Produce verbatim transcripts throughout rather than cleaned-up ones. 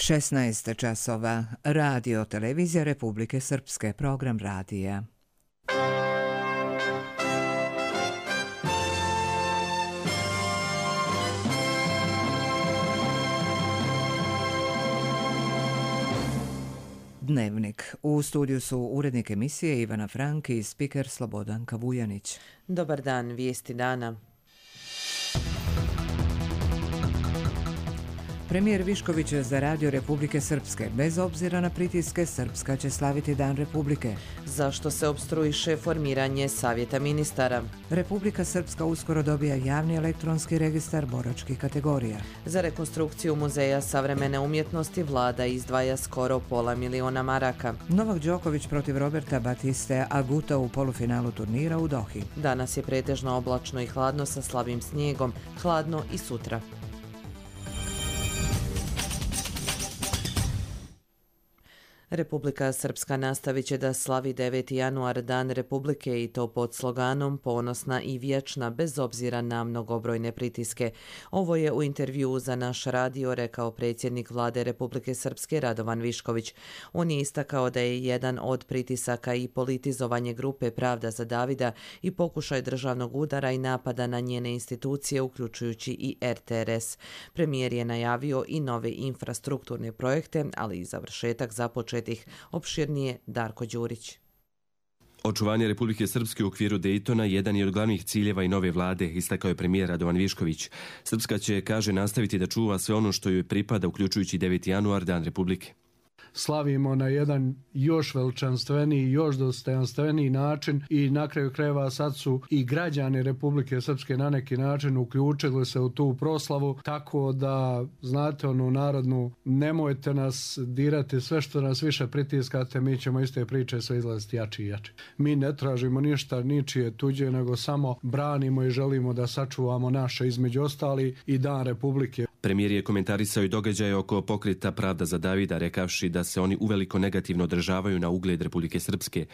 šesnaest časova. Radio televizija Republike Srpske, program radija. Dnevnik. U studiju su urednik emisije Ivana Frank i spiker Slobodanka Vujanić. Dobar dan, vijesti dana. Premijer Višković za Radio Republike Srpske. Bez obzira na pritiske, Srpska će slaviti Dan Republike. Zašto se opstruiše formiranje Savjeta ministara? Republika Srpska uskoro dobija javni elektronski registar boračkih kategorija. Za rekonstrukciju Muzeja savremene umjetnosti vlada izdvaja skoro pola miliona maraka. Novak Đoković protiv Roberta Batiste Aguta u polufinalu turnira u Dohi. Danas je pretežno oblačno i hladno sa slabim snijegom, hladno i sutra. Republika Srpska nastavit će da slavi deveti januar Dan Republike i to pod sloganom Ponosna i vječna bez obzira na mnogobrojne pritiske. Ovo je u intervjuu za naš radio rekao predsjednik vlade Republike Srpske Radovan Višković. On je istakao da je jedan od pritisaka i politizovanje grupe Pravda za Davida i pokušaj državnog udara i napada na njene institucije, uključujući i R T R S. Premijer je najavio i nove infrastrukturne projekte, ali i završetak započet opširnije Darko Đurić. Očuvanje Republike Srpske u okviru Dejtona jedan je od glavnih ciljeva i nove vlade, istakao je premijer Radovan Višković. Srpska će, kaže, nastaviti da čuva sve ono što joj pripada, uključujući deveti januar, Dan Republike. Slavimo na jedan još veličanstveniji, još dostojanstveniji način i na kraju krajeva sad su i građani Republike Srpske na neki način uključili se u tu proslavu, tako da znate onu narodnu, nemojte nas dirati, sve što nas više pritiskate, mi ćemo iste priče sve izlaziti jači i jači. Mi ne tražimo ništa ničije tuđe, nego samo branimo i želimo da sačuvamo naše, između ostali i Dan Republike. Premijer je komentarisao i događaje oko pokreta Pravda za Davida, rekavši da se oni uveliko negativno održavaju na ugled Republike Srpske.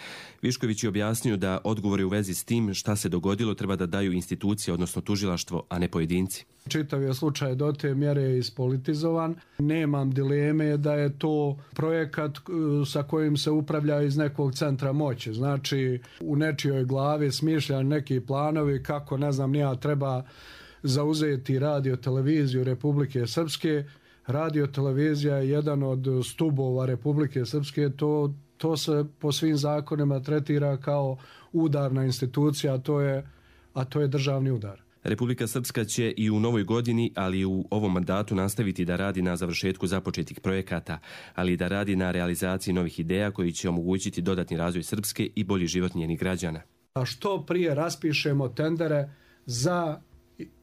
Višković je objasnio da odgovore u vezi s tim šta se dogodilo treba da daju institucije, odnosno tužilaštvo, a ne pojedinci. Čitav je slučaj do te mjere ispolitizovan. Nemam dileme da je to projekat sa kojim se upravlja iz nekog centra moći. Znači, u nečijoj glavi smišljan neki planovi kako, ne znam, nija treba zauzeti radio televiziju Republike Srpske. Radio televizija je jedan od stubova Republike Srpske, to, to se po svim zakonima tretira kao udarna institucija, a to je, a to je državni udar. Republika Srpska će i u novoj godini, ali i u ovom mandatu nastaviti da radi na završetku započetih projekata, ali i da radi na realizaciji novih ideja koji će omogućiti dodatni razvoj Srpske i bolji život njenih građana. A što prije raspišemo tendere za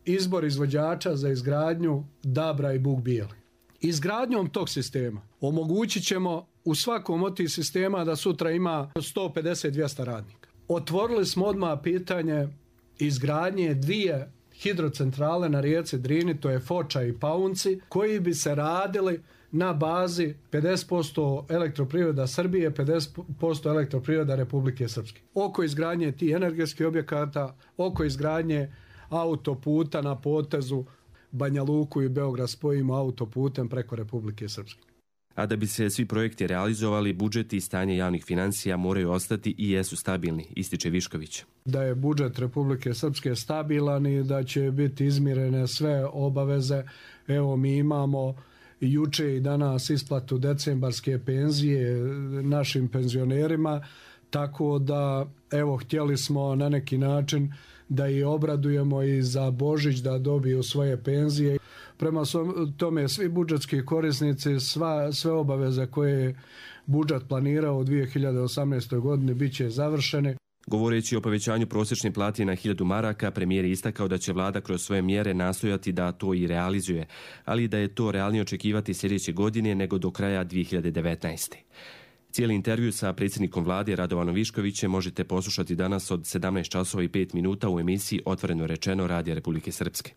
izbor izvođača za izgradnju Dabra i Buk Bijeli. Izgradnjom tog sistema omogućit ćemo u svakom od tih sistema da sutra ima sto pedeset do dvjesto radnika. Otvorili smo odmah pitanje izgradnje dvije hidrocentrale na rijeci Drini, to je Foča i Paunci, koji bi se radili na bazi pedeset posto elektroprivreda Srbije, pedeset posto elektroprivreda Republike Srpske. Oko izgradnje tih energetskih objekata, oko izgradnje autoputa na potezu Banja Luku i Beograd spojimo autoputem preko Republike Srpske. A da bi se svi projekti realizovali, budžeti i stanje javnih financija moraju ostati i jesu stabilni, ističe Višković. Da je budžet Republike Srpske stabilan i da će biti izmirene sve obaveze. Evo, mi imamo juče i danas isplatu decembarske penzije našim penzionerima, tako da evo htjeli smo na neki način da i obradujemo i za Božić da dobiju svoje penzije. Prema tome svi budžetski korisnici, sva, sve obaveze koje je budžet planirao u dvije hiljade osamnaestoj godini bit će završene. Govoreći o povećanju prosječne plate na hiljadu maraka, premijer je istakao da će vlada kroz svoje mjere nastojati da to i realizuje, ali da je to realnije očekivati sljedeće godine nego do kraja dvije hiljade devetnaeste. Cijeli intervju sa predsjednikom vlade Radovanom Viškovićem možete poslušati danas od sedamnaest časova i pet minuta u emisiji Otvoreno rečeno Radija Republike Srpske.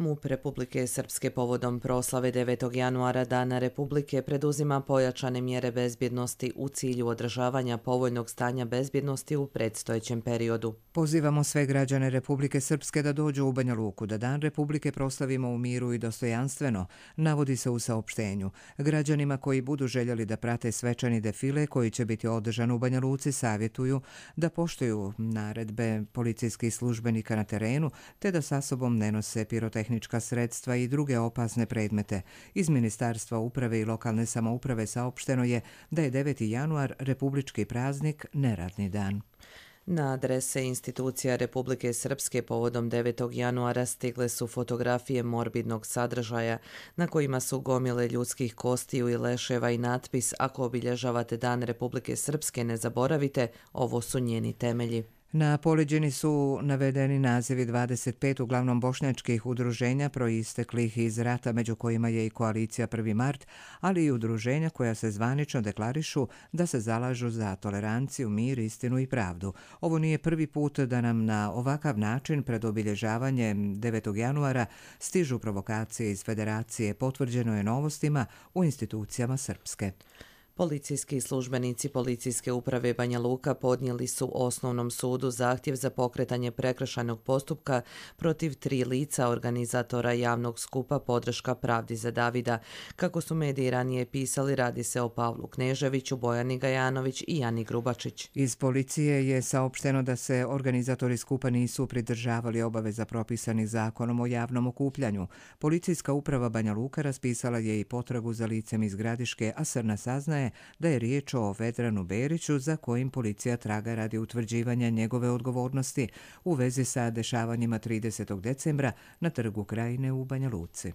MUP Republike Srpske povodom proslave devetog januara Dana Republike preduzima pojačane mjere bezbjednosti u cilju održavanja povoljnog stanja bezbjednosti u predstojećem periodu. Pozivamo sve građane Republike Srpske da dođu u Banja Luku, da Dan Republike proslavimo u miru i dostojanstveno, navodi se u saopštenju. Građanima koji budu željeli da prate svečani defile koji će biti održan u Banja Luci savjetuju da poštuju naredbe policijskih službenika na terenu te da sa sobom ne nose pirotehnička sredstva i druge opasne predmete. Iz Ministarstva uprave i lokalne samouprave saopšteno je da je deveti januar republički praznik, neradni dan. Na adrese institucija Republike Srpske povodom devetog januara stigle su fotografije morbidnog sadržaja na kojima su gomile ljudskih kostiju i leševa i natpis "Ako obilježavate Dan Republike Srpske, ne zaboravite, ovo su njeni temelji". Na poleđini su navedeni nazivi dvadeset pet uglavnom bošnjačkih udruženja proisteklih iz rata, među kojima je i koalicija prvi mart, ali i udruženja koja se zvanično deklarišu da se zalažu za toleranciju, mir, istinu i pravdu. Ovo nije prvi put da nam na ovakav način pred obilježavanjem devetog januara stižu provokacije iz Federacije, potvrđeno je Novostima u institucijama Srpske. Policijski službenici Policijske uprave Banja Luka podnijeli su Osnovnom sudu zahtjev za pokretanje prekršajnog postupka protiv tri lica organizatora javnog skupa Podrška pravdi za Davida. Kako su mediji ranije pisali, radi se o Pavlu Kneževiću, Bojani Gajanović i Jani Grubačić. Iz policije je saopšteno da se organizatori skupa nisu pridržavali obaveza propisanih zakonom o javnom okupljanju. Policijska uprava Banja Luka raspisala je i potragu za licem iz Gradiške, a Srna saznaje da je riječ o Vedranu Beriću za kojim policija traga radi utvrđivanja njegove odgovornosti u vezi sa dešavanjima tridesetog decembra na Trgu Krajine u Banja Luci.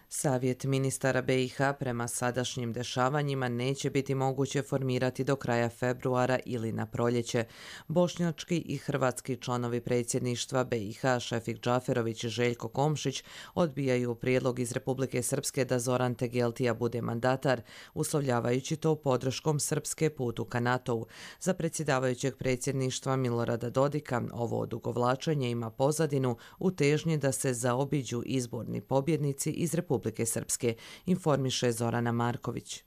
Savjet ministara B i H prema sadašnjim dešavanjima neće biti moguće formirati do kraja februara ili na proljeće. Bošnjački i hrvatski članovi predsjedništva B i H Šefik Džaferović i Željko Komšić odbijaju prijedlog iz Republike Srpske da Zoran Tegeltija bude mandatar, uslovljavajući to podrškom Srpske putu ka NATO-u. Za predsjedavajućeg predsjedništva Milorada Dodika ovo odugovlačenje ima pozadinu u težnji da se zaobiđu izborni pobjednici iz Republike Republike Srpske, informiše Zorana Marković.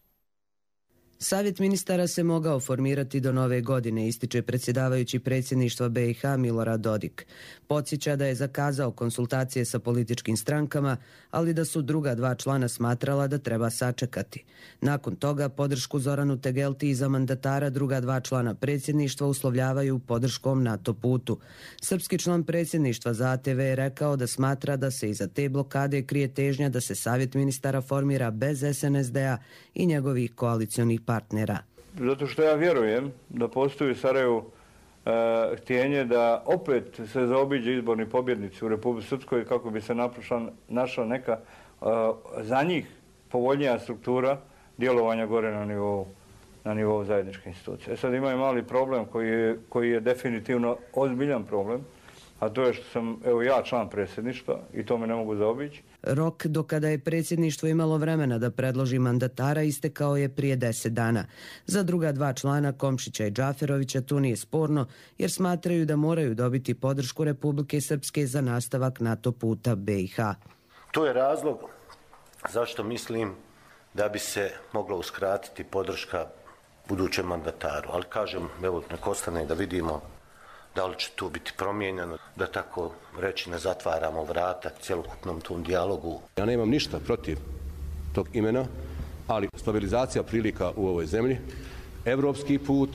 Savjet ministara se mogao formirati do nove godine, ističe predsjedavajući predsjedništva B i H Milorad Dodik. Podsjeća da je zakazao konsultacije sa političkim strankama, ali da su druga dva člana smatrala da treba sačekati. Nakon toga podršku Zoranu Tegeltiji za mandatara druga dva člana predsjedništva uslovljavaju podrškom NATO putu. Srpski član predsjedništva za A T V je rekao da smatra da se iza te blokade krije težnja da se Savjet ministara formira bez S N S D-a i njegovih koalicionih partnera. Zato što ja vjerujem da postoji u Sarajevu e, htjenje da opet se zaobiđe izborni pobjednici u Republici Srpskoj kako bi se našla, našla neka e, za njih povoljnija struktura djelovanja gore na nivou, na nivou zajedničke institucije. E sad imaju mali problem koji je, koji je definitivno ozbiljan problem, a to je što sam evo ja član predsjedništva i to me ne mogu zaobići. Rok do kada je predsjedništvo imalo vremena da predloži mandatara istekao je prije deset dana. Za druga dva člana, Komšića i Džaferovića, tu nije sporno jer smatraju da moraju dobiti podršku Republike Srpske za nastavak NATO puta B i H. To je razlog zašto mislim da bi se mogla uskratiti podrška budućem mandataru. Ali kažem, evo, nek ostane da vidimo da li će to biti promijenjeno, da tako reći ne zatvaramo vrata cjelokupnom tom dijalogu. Ja nemam ništa protiv tog imena, ali stabilizacija prilika u ovoj zemlji, evropski put,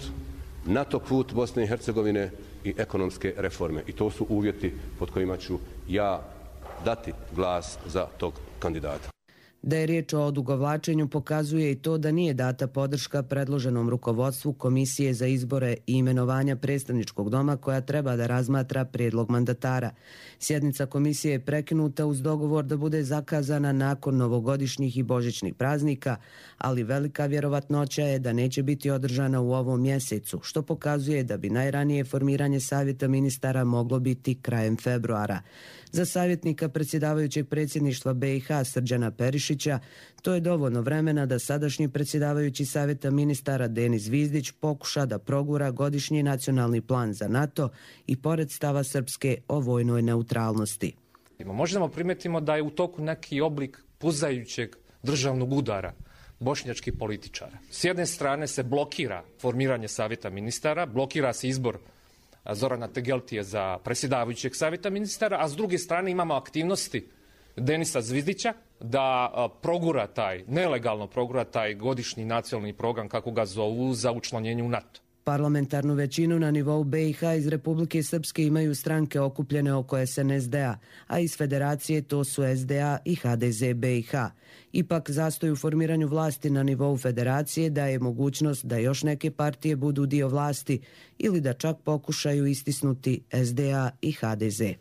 NATO put Bosne i Hercegovine i ekonomske reforme. I to su uvjeti pod kojima ću ja dati glas za tog kandidata. Da je riječ o odugovlačenju pokazuje i to da nije data podrška predloženom rukovodstvu Komisije za izbore i imenovanja predstavničkog doma koja treba da razmatra prijedlog mandatara. Sjednica komisije je prekinuta uz dogovor da bude zakazana nakon novogodišnjih i božićnih praznika, ali velika vjerovatnoća je da neće biti održana u ovom mjesecu, što pokazuje da bi najranije formiranje savjeta ministara moglo biti krajem februara. Za savjetnika predsjedavajućeg predsjedništva B i H Srđana Perišića to je dovoljno vremena da sadašnji predsjedavajući savjeta ministara Denis Zvizdić pokuša da progura godišnji nacionalni plan za NATO i pored stava Srpske o vojnoj neutralnosti. primetimo? Možemo primetimo da je u toku neki oblik puzajućeg državnog udara bošnjačkih političara. S jedne strane se blokira formiranje savjeta ministara, blokira se izbor Zorana Tegeltije za predsjedavajućeg savjeta ministara, a s druge strane imamo aktivnosti Denisa Zvizdića da progura taj, nelegalno progura taj godišnji nacionalni program, kako ga zovu, za učlanjenje u NATO. Parlamentarnu većinu na nivou B i H iz Republike Srpske imaju stranke okupljene oko S N S D-a, a iz Federacije to su S D A i H D Z B i H. Ipak zastoj u formiranju vlasti na nivou Federacije daje mogućnost da još neke partije budu dio vlasti ili da čak pokušaju istisnuti S D A i H D Z.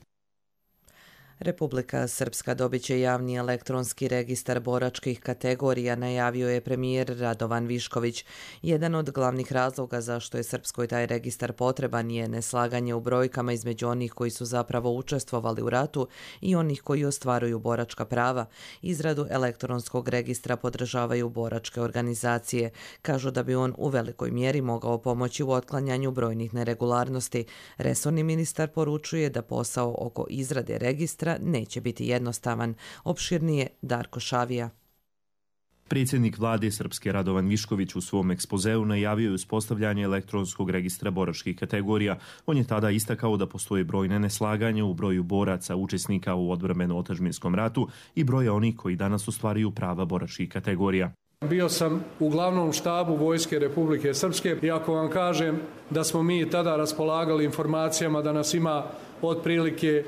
Republika Srpska dobit će javni elektronski registar boračkih kategorija, najavio je premijer Radovan Višković. Jedan od glavnih razloga zašto je Srpskoj taj registar potreban je neslaganje u brojkama između onih koji su zapravo učestvovali u ratu i onih koji ostvaruju boračka prava. Izradu elektronskog registra podržavaju boračke organizacije. Kažu da bi on u velikoj mjeri mogao pomoći u otklanjanju brojnih neregularnosti. Resorni ministar poručuje da posao oko izrade registra neće biti jednostavan. Opširnije Darko Šavija. Predsjednik vlade Srpske Radovan Višković u svom ekspozeu najavio je uspostavljanje elektronskog registra boračkih kategorija. On je tada istakao da postoje brojne neslaganja u broju boraca učesnika u odbrambeno-otadžbinskom ratu i broja onih koji danas ostvaruju prava boračkih kategorija. Bio sam u glavnom štabu Vojske Republike Srpske i ako vam kažem da smo mi tada raspolagali informacijama da nas ima otprilike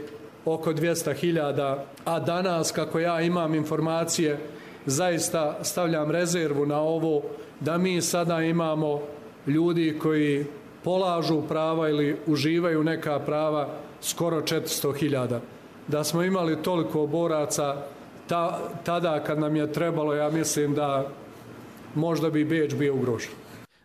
oko dvjesto hiljada, a danas, kako ja imam informacije, zaista stavljam rezervu na ovo, da mi sada imamo ljudi koji polažu prava ili uživaju neka prava skoro četiristo hiljada. Da smo imali toliko boraca ta, tada kad nam je trebalo, ja mislim da možda bi Beč bio ugrožen.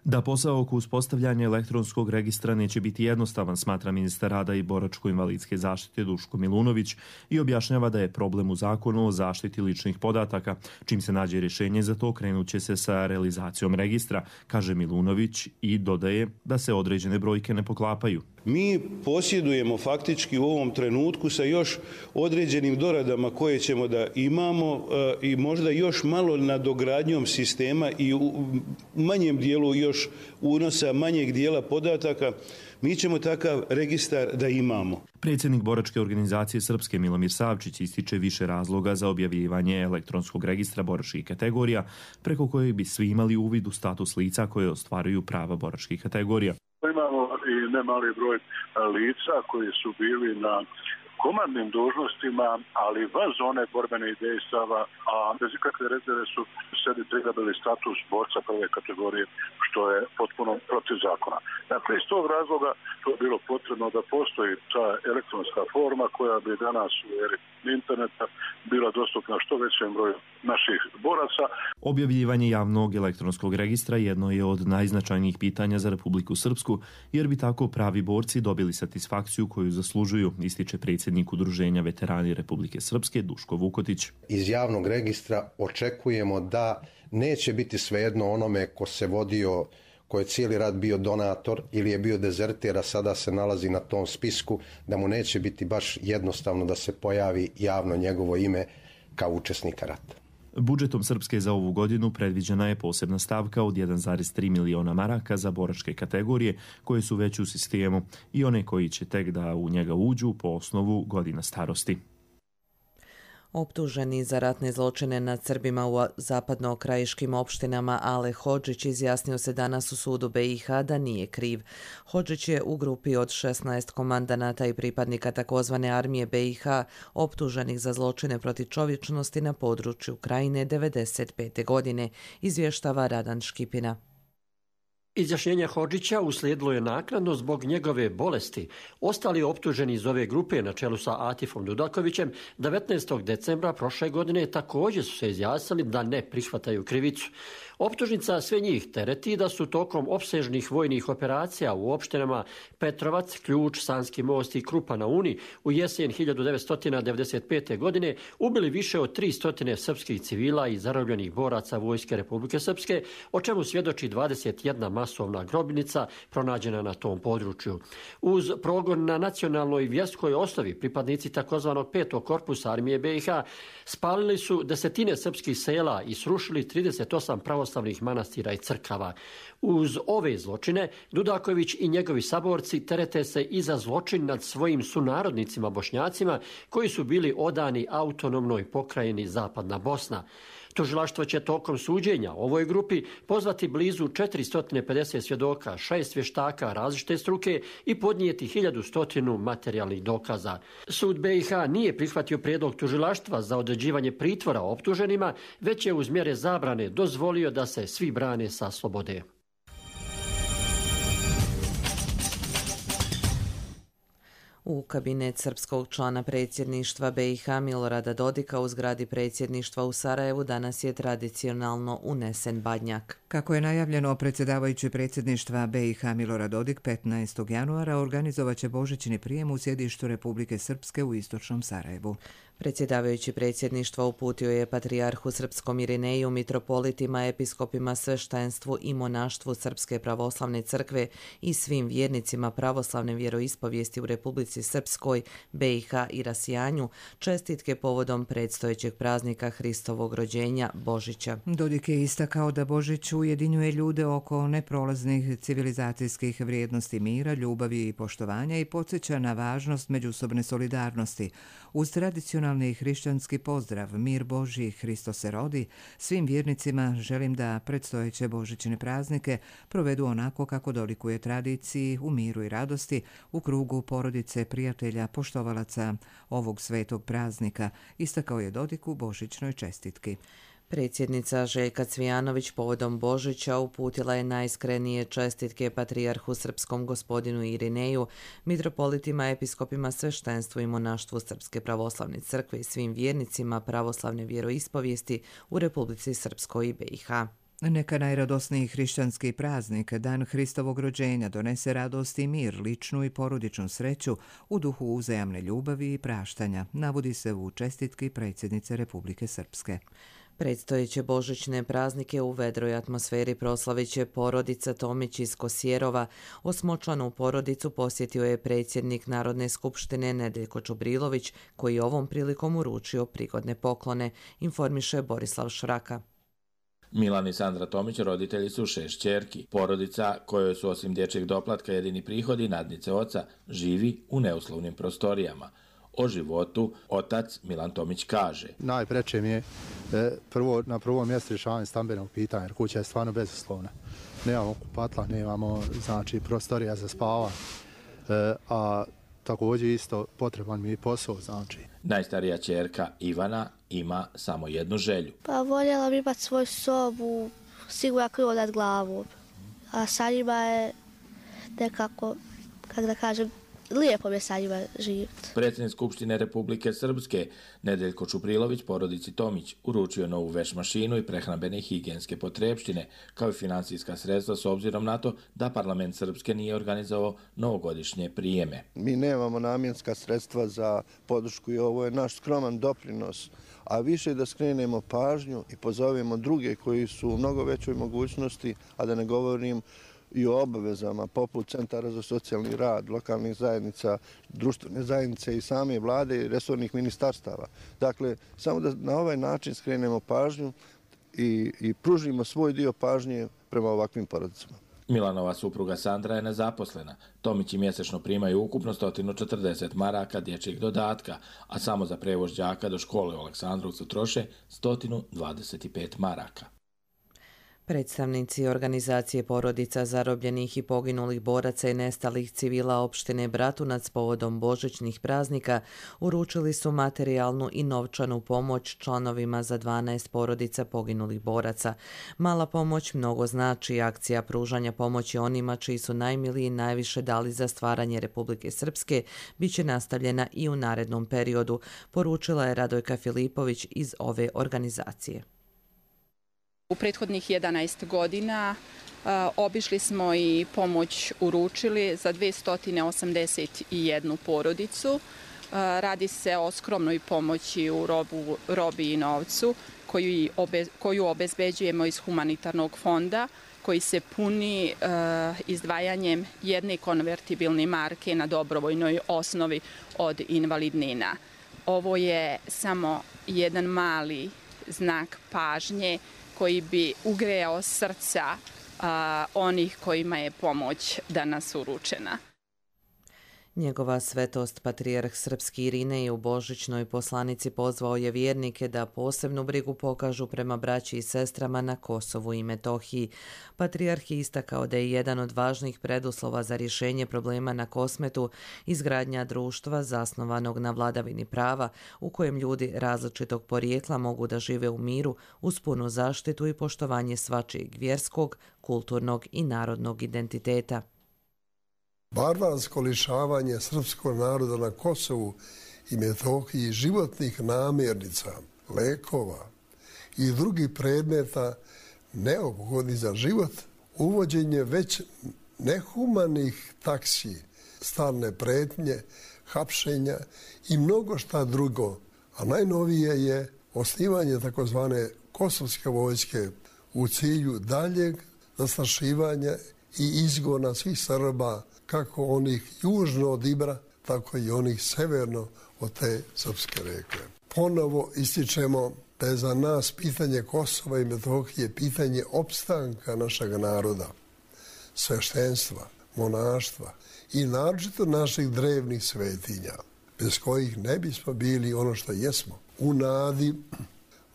Da posao oko uspostavljanja elektronskog registra neće biti jednostavan, smatra ministar rada i boračko-invalidske zaštite Duško Milunović i objašnjava da je problem u zakonu o zaštiti ličnih podataka. Čim se nađe rješenje za to, krenut će se sa realizacijom registra, kaže Milunović i dodaje da se određene brojke ne poklapaju. Mi posjedujemo faktički u ovom trenutku sa još određenim doradama koje ćemo da imamo i možda još malo nadogradnjom sistema i u manjem dijelu još unosa manjeg dijela podataka, mi ćemo takav registar da imamo. Predsjednik boračke organizacije Srpske Milomir Savčić ističe više razloga za objavljivanje elektronskog registra boračkih kategorija, preko kojeg bi svi imali uvid u status lica koje ostvaruju prava boračkih kategorija. Imamo i nemali broj lica koji su bili na komandnim dužnostima, ali van zone borbenih dejstava, a bez ikakve rezerve su sebi prigabili status borca prve kategorije, što je potpuno protiv zakona. Dakle, iz tog razloga to je bilo potrebno da postoji ta elektronska forma koja bi danas u eri interneta bila dostupna što većem broju naših boraca. Objavljivanje javnog elektronskog registra jedno je od najznačajnijih pitanja za Republiku Srpsku, jer bi tako pravi borci dobili satisfakciju koju zaslužuju, ističe predsjednik Udruženja veterani Republike Srpske Duško Vukotić. Iz javnog registra očekujemo da neće biti svejedno onome ko se vodio, ko je cijeli rat bio donator ili je bio dezerter, a sada se nalazi na tom spisku, da mu neće biti baš jednostavno da se pojavi javno njegovo ime kao učesnika rata. Budžetom Srpske za ovu godinu predviđena je posebna stavka od jedan zarez tri miliona maraka za boračke kategorije koje su već u sistemu i one koji će tek da u njega uđu po osnovu godina starosti. Optuženi za ratne zločine nad Srbima u zapadno-krajiškim opštinama Ale Hodžić izjasnio se danas u sudu B i H da nije kriv. Hodžić je u grupi od šesnaest komandanata i pripadnika takozvane armije B i H optuženih za zločine protiv čovječnosti na području Krajine devedeset pete godine, izvještava Radan Škipina. Izjašnjenje Hodžića uslijedilo je naknadno zbog njegove bolesti. Ostali optuženi iz ove grupe na čelu sa Atifom Dudakovićem devetnaestog decembra prošle godine također su se izjasnili da ne prihvataju krivicu. Optužnica sve njih tereti da su tokom opsežnih vojnih operacija u opštinama Petrovac, Ključ, Sanski most i Krupa na Uni u jesen hiljadu devetsto devedeset pete. godine ubili više od tristo srpskih civila i zarobljenih boraca Vojske Republike Srpske, o čemu svjedoči dvadeset jedna masovna grobnica pronađena na tom području. Uz progon na nacionalnoj i vjerskoj osnovi pripadnici takozvanog petog korpusa armije B i H spalili su desetine srpskih sela i srušili trideset osam pravoslavnih manastira i crkava. Uz ove zločine Dudaković i njegovi saborci terete se i za zločin nad svojim sunarodnicima Bošnjacima koji su bili odani autonomnoj pokrajini Zapadna Bosna. Tužilaštvo će tokom suđenja ovoj grupi pozvati blizu četiristo pedeset svjedoka, šest vještaka različite struke i podnijeti hiljadu stotinu materijalnih dokaza. Sud B i H nije prihvatio prijedlog tužilaštva za određivanje pritvora optuženima, već je uz mjere zabrane dozvolio da se svi brane sa slobode. U kabinet srpskog člana predsjedništva B i H Milorada Dodika u zgradi predsjedništva u Sarajevu danas je tradicionalno unesen badnjak. Kako je najavljeno, predsjedavajući predsjedništva B i H Milorad Dodik petnaestog januara organizovaće božićni prijem u sjedištu Republike Srpske u istočnom Sarajevu. Predsjedavajući predsjedništva uputio je patrijarhu srpskom Irineju, mitropolitima, episkopima, sveštenstvu i monaštvu Srpske pravoslavne crkve i svim vjernicima pravoslavne vjeroispovijesti u Republici Srpskoj, B i H i rasijanju čestitke povodom predstojećeg praznika Hristovog rođenja Božića. Dodik je istakao da Božić ujedinjuje ljude oko neprolaznih civilizacijskih vrijednosti mira, ljubavi i poštovanja i podsjeća na važnost međusobne solidarnosti. Uz tradicionalni hrišćanski pozdrav Mir Božji, Hristo se rodi, svim vjernicima želim da predstojeće božićne praznike provedu onako kako dolikuje tradiciji, u miru i radosti, u krugu porodice, prijatelja, poštovalaca ovog svetog praznika, istakao je Dodik u božićnoj čestitki. Predsjednica Željka Cvijanović povodom Božića uputila je najiskrenije čestitke patrijarhu srpskom gospodinu Irineju, mitropolitima, episkopima, sveštenstvu i monaštvu Srpske pravoslavne crkve i svim vjernicima pravoslavne vjeroispovijesti u Republici Srpskoj i B i H. Neka najradosniji hrišćanski praznik, dan Hristovog rođenja, donese radost i mir, ličnu i porodičnu sreću u duhu uzajamne ljubavi i praštanja, navodi se u čestitki predsjednice Republike Srpske. Predstojeće božićne praznike u vedroj atmosferi proslavit će porodica Tomić iz Kosjerova. Osmočlanu porodicu posjetio je predsjednik Narodne skupštine Nedeljko Čubrilović, koji ovom prilikom uručio prigodne poklone, informiše Borislav Šraka. Milan i Sandra Tomić roditelji su šest ćerki. Porodica, kojoj su osim dječjeg doplatka jedini prihodi nadnice oca, živi u neuslovnim prostorijama. O životu otac Milan Tomić kaže: Najpreče mi je e, prvo, na prvom mjestu rješavanje stambenog pitanja, jer kuća je stvarno bezuslovna. Nemamo kupatla, nemamo znači, prostorija za spavanje, e, a također isto potreban mi je posao. Znači. Najstarija ćerka Ivana ima samo jednu želju. Pa voljela bi imati svoju sobu, sigurno krilo nad glavom, a sa njima je nekako, kako da kažem, lijepo mi je sa njima živjeti. Predsjednik Skupštine Republike Srpske Nedeljko Čuprilović porodici Tomić uručio novu veš mašinu i prehrambene i higijenske potrepštine, kao i financijska sredstva s obzirom na to da parlament Srpske nije organizovao novogodišnje prijeme. Mi nemamo namjenska sredstva za podršku i ovo je naš skroman doprinos, a više da skrenemo pažnju i pozovemo druge koji su u mnogo većoj mogućnosti, a da ne govorim i o obavezama poput centara za socijalni rad, lokalnih zajednica, društvene zajednice i same vlade i resornih ministarstava. Dakle, samo da na ovaj način skrenemo pažnju i, i pružimo svoj dio pažnje prema ovakvim porodicama. Milanova supruga Sandra je nezaposlena. Tomići mjesečno primaju ukupno sto četrdeset maraka dječjeg dodatka, a samo za prevoz đaka do škole u Aleksandrovcu troše sto dvadeset pet maraka. Predstavnici organizacije porodica zarobljenih i poginulih boraca i nestalih civila opštine Bratunac povodom božićnih praznika uručili su materijalnu i novčanu pomoć članovima za dvanaest porodica poginulih boraca. Mala pomoć mnogo znači. Akcija pružanja pomoći onima čiji su najmiliji najviše dali za stvaranje Republike Srpske bit će nastavljena i u narednom periodu, poručila je Radojka Filipović iz ove organizacije. U prethodnih jedanaest godina obišli smo i pomoć uručili za dvesta osamdeset jednu porodicu. Radi se o skromnoj pomoći u robu, robi i novcu koju, obe, koju obezbeđujemo iz humanitarnog fonda koji se puni izdvajanjem jedne konvertibilne marke na dobrovoljnoj osnovi od invalidnina. Ovo je samo jedan mali znak pažnje koji bi ugrejao srca a, onih kojima je pomoć danas uručena. Njegova svetost patrijarh srpski Irinej u božićnoj poslanici pozvao je vjernike da posebnu brigu pokažu prema braći i sestrama na Kosovu i Metohiji. Patrijarh je istakao da je jedan od važnih preduslova za rješenje problema na Kosmetu izgradnja društva zasnovanog na vladavini prava u kojem ljudi različitog porijekla mogu da žive u miru uz punu zaštitu i poštovanje svačijeg vjerskog, kulturnog i narodnog identiteta. Barbarsko lišavanje srpskog naroda na Kosovu i Metohiji životnih namirnica, lekova i drugih predmeta neophodnih za život, uvođenje već nehumanih taksi, stalne pretnje, hapšenja i mnogo šta drugo. A najnovije je osnivanje takozvane kosovske vojske u cilju daljeg zastrašivanja i izgona svih Srba, kako onih južno od Ibra, tako i onih severno od te srpske reke. Ponovo ističemo da je za nas pitanje Kosova i Metohije pitanje opstanka našeg naroda, sveštenstva, monaštva i naročito naših drevnih svetinja, bez kojih ne bismo bili ono što jesmo. U nadi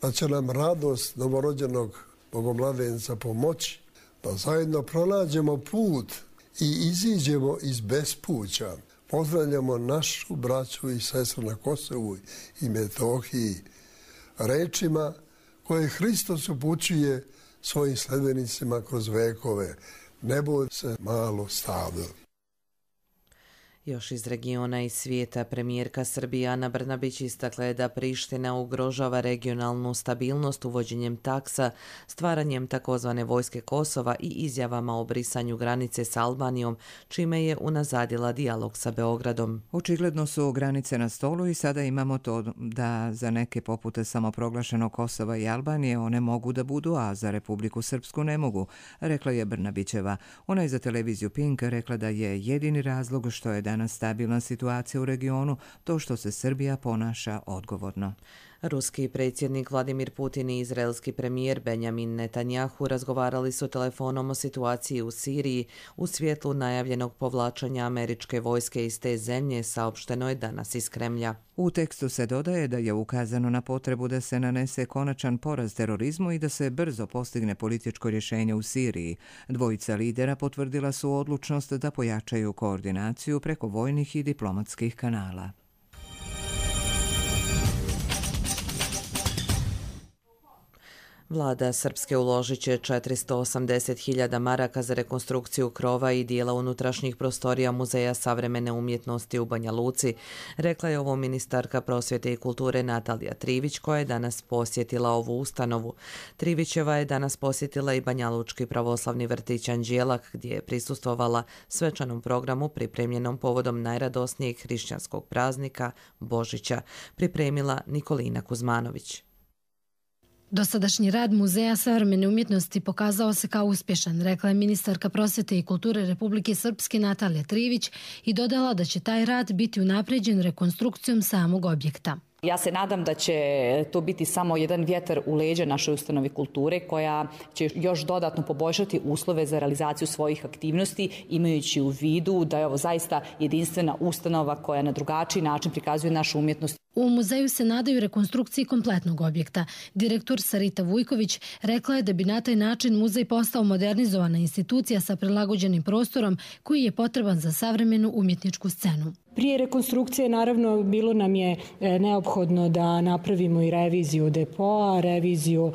da će nam radost novorođenog bogomladenca pomoći, da zajedno pronađemo put i iziđemo iz bespuća. Pozdravljamo našu braću i sestru na Kosovu i Metohiji rečima koje Hristos upućuje svojim sledbenicima kroz vekove. Ne boj se malo stado. Još iz regiona i svijeta premijerka Srbije Ana Brnabić istakla je da Priština ugrožava regionalnu stabilnost uvođenjem taksa, stvaranjem takozvane vojske Kosova i izjavama o brisanju granice s Albanijom, čime je unazadila dijalog sa Beogradom. Očigledno su granice na stolu i sada imamo to da za neke popute samoproglašenog Kosova i Albanije one mogu da budu, a za Republiku Srpsku ne mogu, rekla je Brnabićeva. Ona je za televiziju Pink rekla da je jedini razlog što je danas stabilna situacija u regionu to što se Srbija ponaša odgovorno. Ruski predsjednik Vladimir Putin i izraelski premijer Benjamin Netanjahu razgovarali su telefonom o situaciji u Siriji u svjetlu najavljenog povlačenja američke vojske iz te zemlje, saopšteno je danas iz Kremlja. U tekstu se dodaje da je ukazano na potrebu da se nanese konačan poraz terorizmu i da se brzo postigne političko rješenje u Siriji. Dvojica lidera potvrdila su odlučnost da pojačaju koordinaciju preko vojnih i diplomatskih kanala. Vlada Srpske uložit će četiristo osamdeset hiljada maraka za rekonstrukciju krova i dijela unutrašnjih prostorija Muzeja savremene umjetnosti u Banja Luci, rekla je ovo ministarka prosvjete i kulture Natalija Trivić, koja je danas posjetila ovu ustanovu. Trivićeva je danas posjetila i Banjalučki pravoslavni vrtić Anđelak, gdje je prisustvovala svečanom programu pripremljenom povodom najradosnijeg hrišćanskog praznika Božića, pripremila Nikolina Kuzmanović. Dosadašnji rad Muzeja savremene umjetnosti pokazao se kao uspješan, rekla je ministarka prosvjete i kulture Republike Srpske Natalija Trivić i dodala da će taj rad biti unapređen rekonstrukcijom samog objekta. Ja se nadam da će to biti samo jedan vjetar u leđa našoj ustanovi kulture koja će još dodatno poboljšati uslove za realizaciju svojih aktivnosti, imajući u vidu da je ovo zaista jedinstvena ustanova koja na drugačiji način prikazuje našu umjetnost. U muzeju se nadaju rekonstrukciji kompletnog objekta. Direktor Sarita Vujković rekla je da bi na taj način muzej postao modernizovana institucija sa prilagođenim prostorom koji je potreban za savremenu umjetničku scenu. Prije rekonstrukcije naravno bilo nam je neophodno da napravimo i reviziju depoa, reviziju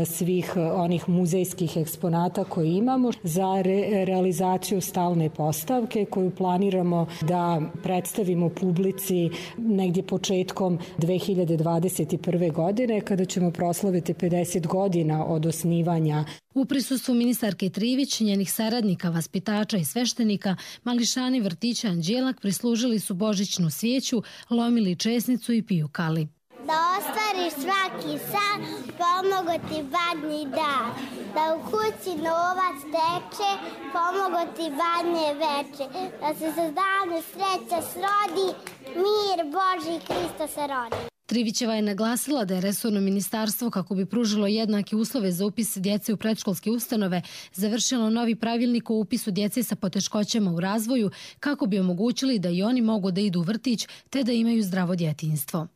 svih onih muzejskih eksponata koje imamo za re realizaciju stalne postavke koju planiramo da predstavimo publici negdje početkom dve hiljade dvadeset prve. godine kada ćemo proslaviti pedeset godina od osnivanja. U prisustvu ministarke Trivić, njenih saradnika, vaspitača i sveštenika, mališani vrtića Anđelak prislužili su božićnu svijeću, lomili česnicu i pijukali. Da ostvariš svaki san, pomogo ti badnji dan. Da u kući novac teče, pomogo ti badnje veče. Da se za dane sreća srodi, mir Božji Krista se rodi. Trivićeva je naglasila da je resorno ministarstvo, kako bi pružilo jednake uslove za upis djece u predškolske ustanove, završilo novi pravilnik o upisu djece sa poteškoćama u razvoju kako bi omogućili da i oni mogu da idu u vrtić te da imaju zdravo djetinjstvo.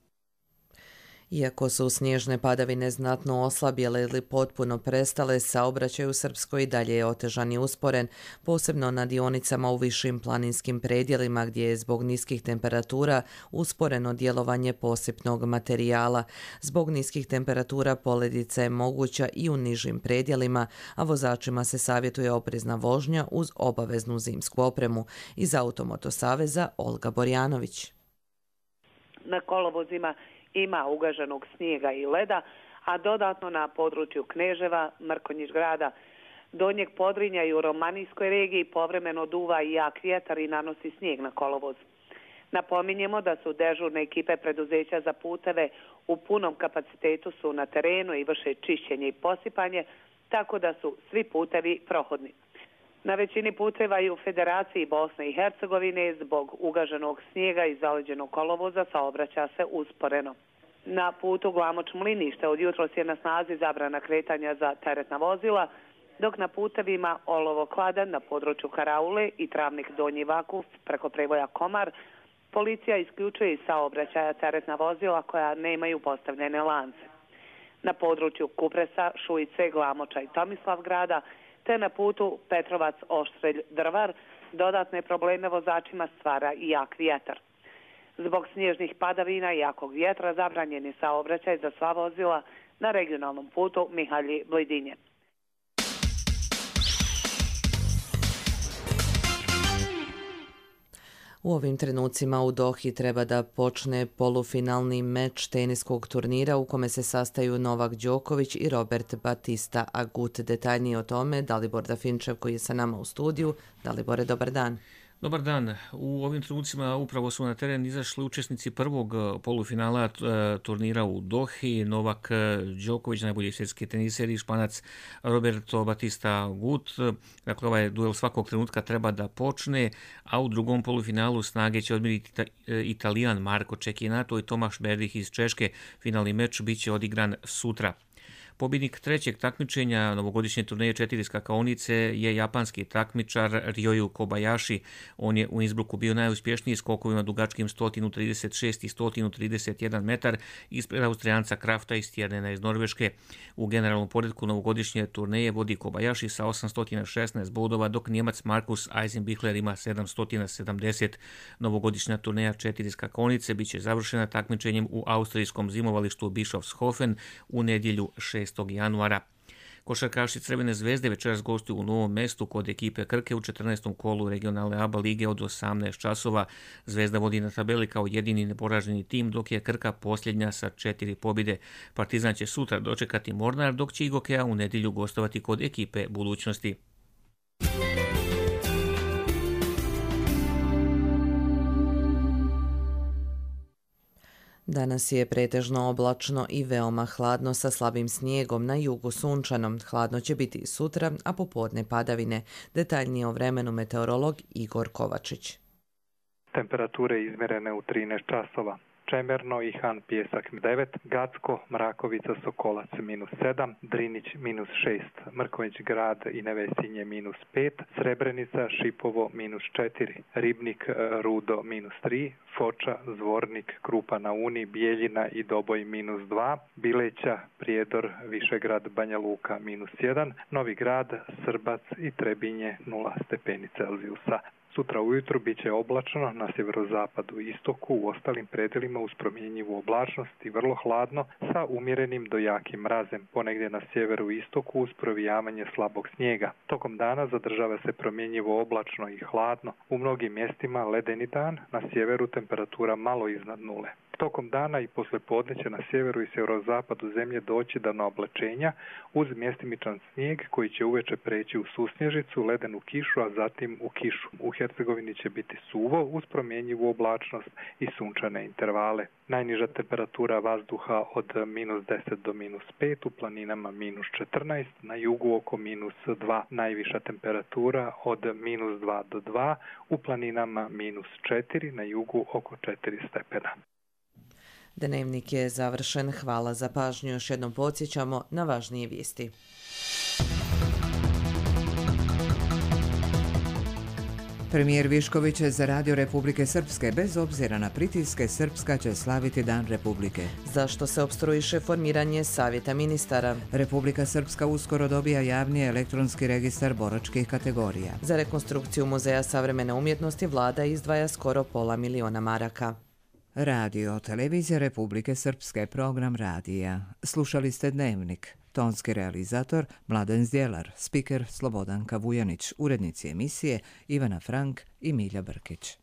Iako su snježne padavine znatno oslabjele ili potpuno prestale, saobraćaj u Srpskoj dalje je otežan i usporen, posebno na dionicama u višim planinskim predjelima gdje je zbog niskih temperatura usporeno djelovanje posipnog materijala. Zbog niskih temperatura poledica je moguća i u nižim predjelima, a vozačima se savjetuje oprezna vožnja uz obaveznu zimsku opremu. Iz Automoto saveza Olga Borjanović. Na kolovozima ima ugaženog snijega i leda, a dodatno na području Kneževa, Mrkonjić grada, Donjeg Podrinja i u Romanijskoj regiji povremeno duva i jak vjetar i nanosi snijeg na kolovoz. Napominjemo da su dežurne ekipe preduzeća za puteve u punom kapacitetu su na terenu i vrše čišćenje i posipanje, tako da su svi putevi prohodni. Na većini puteva i u Federaciji Bosne i Hercegovine zbog ugaženog snijega i zaleđenog kolovoza saobraća se usporeno. Na putu Glamoč-Mlinište od jutros je na snazi zabrana kretanja za teretna vozila, dok na putevima Olovo-Kladan na području Karaule i Travnik Donji Vakuf preko prevoja Komar policija isključuje iz saobraćaja teretna vozila koja nemaju postavljene lance. Na području Kupresa, Šujice, Glamoča i Tomislavgrada te na putu Petrovac-Oštrelj-Drvar dodatne probleme vozačima stvara i jak vjetar. Zbog snježnih padavina i jakog vjetra zabranjen je saobraćaj za sva vozila na regionalnom putu Mihalji-Blidinje. U ovim trenucima u Dohi treba da počne polufinalni meč teniskog turnira u kome se sastaju Novak Đoković i Robert Batista Agut. Detaljnije o tome Dalibor Dafinčev koji je sa nama u studiju. Dalibore, dobar dan. Dobar dan. U ovim trenucima upravo su na teren izašli učesnici prvog polufinala turnira u Dohi. Novak Đoković, najbolji svjetski teniser, i Španac Roberto Batista Agut. Dakle, ovaj duel svakog trenutka treba da počne, a u drugom polufinalu snage će odmiriti Italijan Marko Cecchinato i Tomaš Berdych iz Češke. Finalni meč biće odigran sutra. Pobjednik trećeg takmičenja novogodišnje turneje četiri skakaonice je japanski takmičar Ryoyu Kobayashi. On je u Innsbrucku bio najuspješniji skokovima dugačkim sto trideset šest i sto trideset jedan metar ispred Austrijanca Krafta i Stjernena iz Norveške. U generalnom poredku novogodišnje turneje vodi Kobayashi sa osamsto šesnaest bodova, dok Njemac Markus Eisenbichler ima sedamsto sedamdeset. Novogodišnja turneja četiri skakaonice biće završena takmičenjem u austrijskom zimovalištu Bischofshofen u nedjelju šestog januara. Košarkaši Crvene zvezde večeras gostuju u Novom Mestu kod ekipe Krke u četrnaestom kolu regionalne A B A lige od osamnaest časova. Zvezda vodi na tabeli kao jedini neporaženi tim, dok je Krka posljednja sa četiri pobjede. Partizan će sutra dočekati Mornar, dok će Igokea u nedjelju gostovati kod ekipe Budućnosti. Danas je pretežno oblačno i veoma hladno sa slabim snijegom, na jugu sunčanom. Hladno će biti i sutra, a popodne padavine. Detaljnije o vremenu meteorolog Igor Kovačić. Temperature izmjerene u trinaest časova. Čemerno i Han Pjesak devet, Gacko, Mrakovica, Sokolac minus sedam, Drinić minus šest, Mrkonjić grad i Nevesinje minus pet, Srebrenica, Šipovo minus četiri, Ribnik, Rudo minus tri, Foča, Zvornik, Krupa na Uni, Bijeljina i Doboj minus dva, Bileća, Prijedor, Višegrad, Banja Luka minus jedan, Novi Grad, Srbac i Trebinje nula stepeni Celzijusa. Sutra ujutro bit će oblačno na sjeverozapadu i istoku, u ostalim predelima uz promjenjivu oblačnost i vrlo hladno sa umjerenim do jakim mrazem, ponegdje na sjeveru i istoku uz provijavanje slabog snijega. Tokom dana zadržava se promjenjivo oblačno i hladno. U mnogim mjestima ledeni dan, na sjeveru temperatura malo iznad nule. Tokom dana i poslijepodne će na sjeveru i sjeverozapadu zemlje doći do oblačenja uz mjestimičan snijeg koji će uveče preći u susnježicu, ledenu kišu, a zatim u kišu. U Hercegovini će biti suvo uz promjenjivu oblačnost i sunčane intervale. Najniža temperatura vazduha od minus deset do minus pet, u planinama minus četrnaest, na jugu oko minus dva. Najviša temperatura od minus dva do dva, u planinama minus četiri, na jugu oko četiri stepena. Dnevnik je završen. Hvala za pažnju. Još jednom podsjećamo na važnije vijesti. Premijer Višković je za Radio Republike Srpske, bez obzira na pritiske, Srpska će slaviti Dan Republike. Zašto se opstruiše formiranje Savjeta ministara? Republika Srpska uskoro dobija javni elektronski registar boračkih kategorija. Za rekonstrukciju Muzeja savremene umjetnosti vlada izdvaja skoro pola miliona maraka. Radio, televizija Republike Srpske, program radija. Slušali ste Dnevnik. Tonski realizator Mladen Zdjelar, spiker Slobodanka Vujanić, urednici emisije Ivana Frank i Milja Brkić.